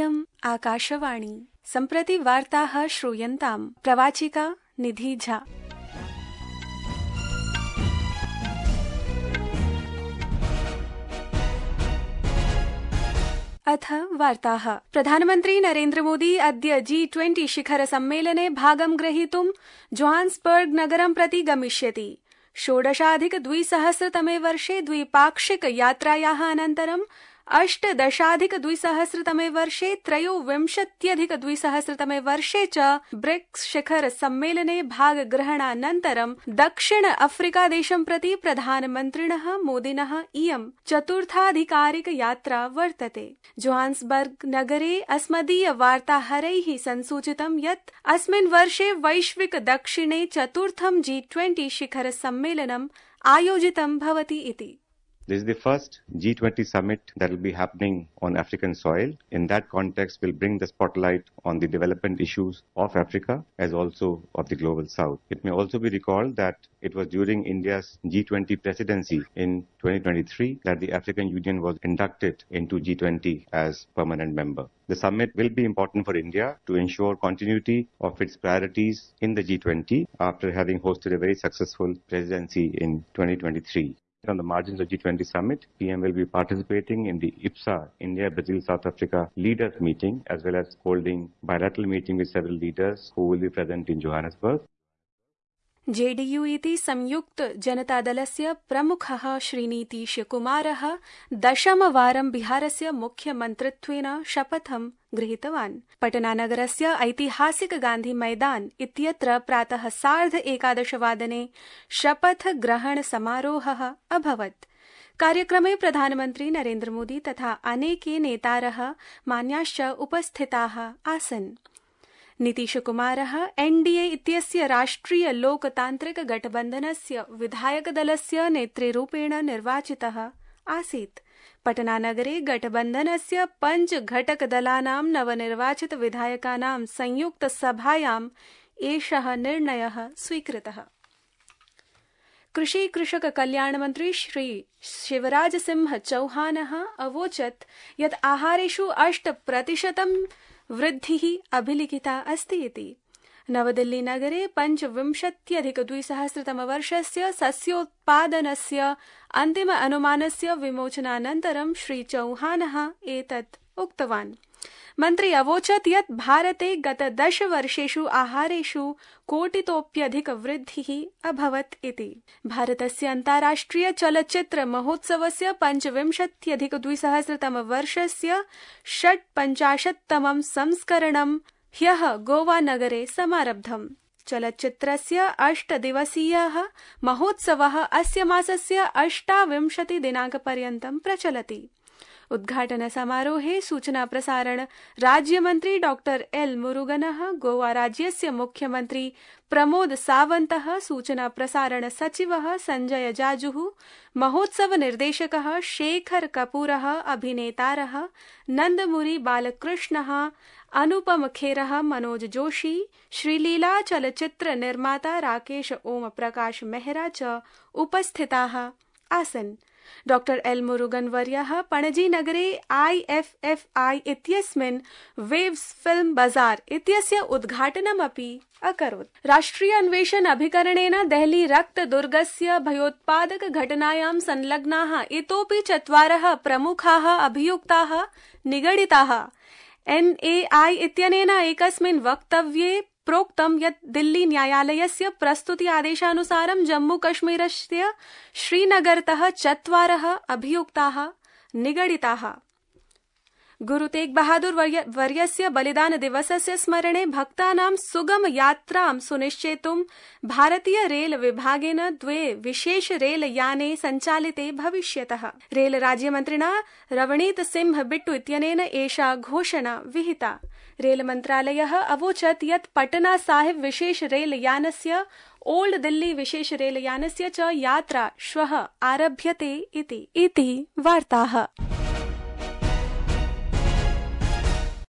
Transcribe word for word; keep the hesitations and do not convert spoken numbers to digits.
इयम् आकाशवाणी। सम्प्रति वार्ताः श्रूयन्ताम्। प्रवाचिका निधि झा। अथ वार्ताः। प्रधानमन्त्री नरेन्द्र मोदी अद्य जी ट्वेंटी शिखर सम्मेलने भागं ग्रहीतुं जोहान्सबर्ग नगरं प्रति गमिष्यति। षोडशाधिक द्विसहस्रतमे वर्षे द्विपाक्षिक यात्रायाः अनन्तरं अष्टदशाधिक द्विसहस्रतमे वर्षे त्रयोविंशत्यधिक द्विसहस्रतमे वर्षे च ब्रिक्स शिखर सम्मेलने भागग्रहणानन्तरं दक्षिण अफ्रीका देशं प्रति प्रधानमन्त्रिणः मोदिनः इयं चतुर्थाधिकारिक यात्रा वर्तते। जोहान्सबर्ग नगरे अस्मदीय वार्ताहरैः संसूचितं यत् अस्मिन् वर्षे वैश्विक दक्षिणे चतुर्थं जी ट्वेंटी शिखर सम्मेलनम् आयोजितं भवति इति। This is the first G twenty summit that will be happening on African soil. In that context, we'll bring the spotlight on the development issues of Africa as also of the global south. It may also be recalled that it was during India's G twenty presidency in twenty twenty-three that the African Union was inducted into G twenty as permanent member. The summit will be important for India to ensure continuity of its priorities in the G twenty after having hosted a very successful presidency in twenty twenty-three. On the margins of G twenty summit, P M will be participating in the I P S A, India, Brazil, South Africa leaders meeting, as well as holding bilateral meeting with several leaders who will be present in Johannesburg. JDU इति संयुक्त जनतादलस्य प्रमुखः श्रीनीतीश कुमारः दशमवारं बिहारस्य मुख्यमन्त्रित्वेन शपथं गृहीतवान्। पटनानगरस्य ऐतिहासिक गान्धी मैदान इत्यत्र प्रातः सार्ध एकादशवादने शपथ ग्रहण समारोहः अभवत्। कार्यक्रमे प्रधानमन्त्री नरेन्द्र मोदी तथा अनेके नेतारः मान्याश्च उपस्थिताः आसन्। नीतीशकुमारः एनडीए इत्यस्य राष्ट्रिय लोकतान्त्रिक गठबन्धनस्य विधायकदलस्य नेतृरूपेण निर्वाचितः आसीत्। पटनानगरे गठबन्धनस्य पञ्च घटकदलानां नवनिर्वाचित विधायकानां संयुक्त सभायाम् एषः निर्णयः स्वीकृतः। कृषि कृषक कल्याण मंत्री श्री शिवराज सिंह चौहानः अवोचत् यत् आहारेषु अष्ट प्रतिशतं वृद्धिः अभिलिखिता अस्ति इति। नवदिल्ली नगरे पञ्चविंशत्यधिक द्विसहस्रतमवर्षस्य सस्योत्पादनस्य अन्तिम अनुमानस्य विमोचनानन्तरं श्री चौहानः एतत् उक्तवान्। मन्त्री अवोचत् यत् भारते गत दश वर्षेषु आहारेषु कोटितोप्यधिक वृद्धिः अभवत् इति। भारतस्य अन्ताराष्ट्रिय चलच्चित्र महोत्सवस्य पञ्चविंशत्यधिक द्विसहस्रतम वर्षस्य षट्पञ्चाशत्तमं संस्करणं ह्यः गोवा नगरे समारब्धम्। चलच्चित्रस्य अष्टदिवसीयः महोत्सवः अस्य मासस्य अष्टाविंशति दिनाङ्कपर्यन्तं प्रचलति। उद्घाटन समारोहे सूचना प्रसारण राज्यमन्त्री डॉक्टर एल मुरुगनः, गोवा राज्यस्य मुख्यमन्त्री प्रमोद सावन्तः, सूचना प्रसारण सचिवः संजय जाजुः, महोत्सव निर्देशकः शेखर कपूरः, अभिनेतारः नन्दमुरी बालकृष्णः, अनुपम खेरः, मनोज जोशी, श्रीलीला चलच्चित्र निर्माता राकेश ओम प्रकाश मेहरा च उपस्थिताः आसन्। डॉक्टर एल मुरुगन वर्यः पणजी नगरे आईएफएफआई इत्यस्मिन् वेव्स फिल्म बाजार इत्यस्य उद्घाटनमपि अकरोत्। राष्ट्रिय अन्वेषण अभिकरणेन देहली रक्त दुर्गस्य भयोत्पादक घटनायां संलग्नाः इतोपि चत्वारः प्रमुखाः अभियुक्ताः निगडिताः। एनएआई इत्यनेन एकस्मिन् वक्तव्ये प्रोक्तं यत् दिल्ली न्यायालयस्य प्रस्तुति आदेशानुसारं जम्मूकश्मीरस्य श्रीनगरतः चत्वारः अभियुक्ताः निगडिताः। गुरु तेग बहादुर वर्यस्य बलिदान दिवसस्य स्मरणे भक्तानां सुगम यात्रां सुनिश्चेतुं भारतीय रेल विभागेन द्वे विशेष रेल याने सञ्चालिते भविष्यतः। रेल राज्यमन्त्रिणा रवनीत सिंह बिट्टू इत्यनेन एषा घोषणा विहिता। रेल मन्त्रालयः अवोचत् यत् पटना साहिब विशेष रेल यानस्य ओल्ड दिल्ली विशेष रेल यानस्य च यात्रा श्वः आरभ्यते इति। इति वार्ताः।